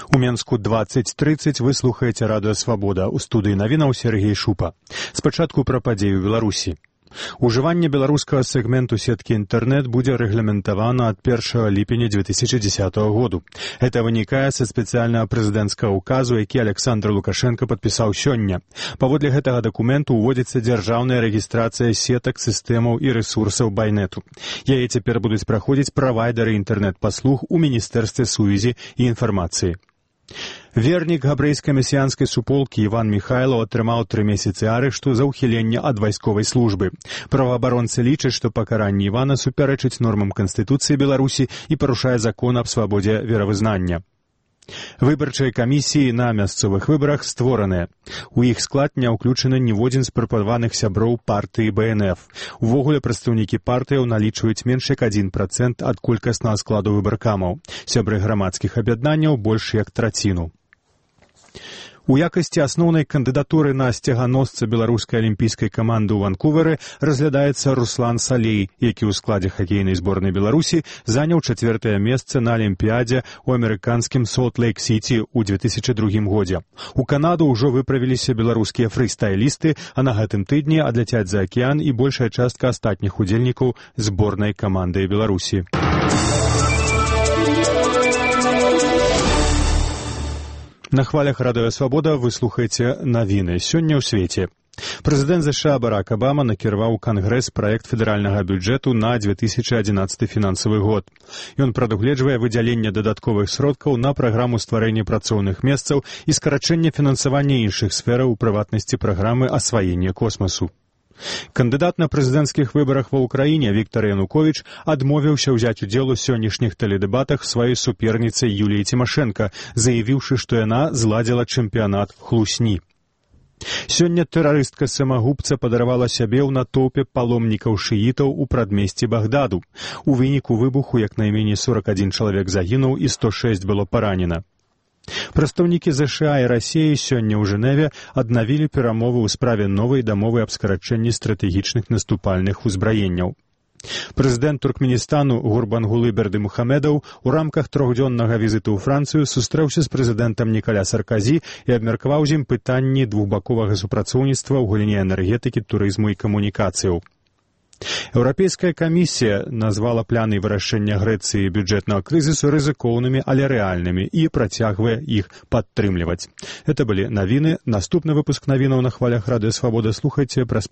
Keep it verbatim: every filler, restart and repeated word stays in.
У Менску двадцать тридцать вы слухаеце радыё «Свабода». У студыі навінаў Сергей Шупа. Спачатку пра падзею Беларусі. Ужыванне беларускага сегменту сеткі інтэрнэт будзе рэгламентавана ад першага ліпеня дзве тысячы дзесятага году. Это вынікае са спецыяльнага прэзідэнцкага указу, які Александр Лукашенко падпісаў сёння. Паводле гэтага дакументу ўводзіцца дзяржаўная рэгістрацыя сетак, сістэмаў і рэсурсаў байнету. Яе цяпер будуць праходзіць правайдары інтэрнэт-паслуг у Міністэрстве сувязі і інфармацыі. Вернік габрэйскай месіянскай суполкі Іван Міхайлаў атрымаў тры месяцы арышту за ўхіленне ад вайсковай службы. Праваабаронцы лічаць, што пакаранне Івана супярэчыць нормам Канстытуцыі Беларусі і парушае закон аб свабодзе веравызнання. Выбарчыя камісіі на мясцовых выбарах створаныя. У іх склад не ўключаны ніводзін з прапанаваных сяброў партыі Бэ Эн Эф. Увогуле прадстаўнікі партыяў налічваюць менш як адзін працэнт ад колькаснага складу выбаркамаў. Сябры грамадскіх аб'яднанняў больш як траціну. У якасці асноўнай кандыдатуры на сцяганосца беларускай алімпійскай каманды ў Ванкувары разглядаецца Руслан Салей, які ў складзе хакейнай зборнай Беларусі заняў чацвёртае месца на алімпіядзе ў амерыканскім Солт-Лейк-Сіці ў дзве тысячы другім годзе. У Канаду ўжо выправіліся беларускія фрыстайлісты, а на гэтым тыдні адляцяць за акіян і большая частка астатніх удзельнікаў зборнай каманды Беларусі. На хвалях радыё «Свабода» вы слухаеце навіны. Сёння ў свеце. Прэзідэнт ЗША Барак Абама накіраваў у Кангрэс праект федэральнага бюджэту на дзве тысячы адзінаццаты фінансавы год. Ён прадугледжвае выдзяленне дадатковых сродкаў на праграму стварэння працоўных месцаў і скарачэнне фінансавання іншых сфераў, у прыватнасці праграмы асваення космасу. Кандыдат на прэзідэнцкіх выбарах ва ўкраіне Віктар Януковіч адмовіўся ўзяць удзел у сённяшніх тэледэбатах сваёй суперніцай Юліі Цімашэнка, заявіўшы, што яна зладзіла чэмпіянат хлусні. Сёння тэрарыстка-самагубца падаравала сябе ў натоўпе паломнікаў шыітаў у прадмесці Багдаду. У выніку выбуху як найменей сорак адзін чалавек загінуў і сто шэсць было паранена. Прадстаўнікі ЗША і Расіі сёння ў Жэневе аднавілі перамовы ў справе новай дамовы аб скарачэнні стратэгічных наступальных узбраенняў. Прэзідэнт Туркменістану Гурбангулы Бердымухамедаў у рамках трохдзённага візіту ў Францыю сустрэўся з прэзідэнтам Нікаля Сарказі і абмеркаваў з ім пытанні двухбаковага супрацоўніцтва ў галіне энергетыкі, турызму і камунікацыяў. Еўрапейская камісія назвала планы вырашэння Грэцыі бюджэтнага крызісу рызыкоўнымі, але рэальнымі і працягвае іх падтрымліваць. Гэта былі навіны. Наступны выпуск навінаў на хвалях радыё «Свабода» слухайце праз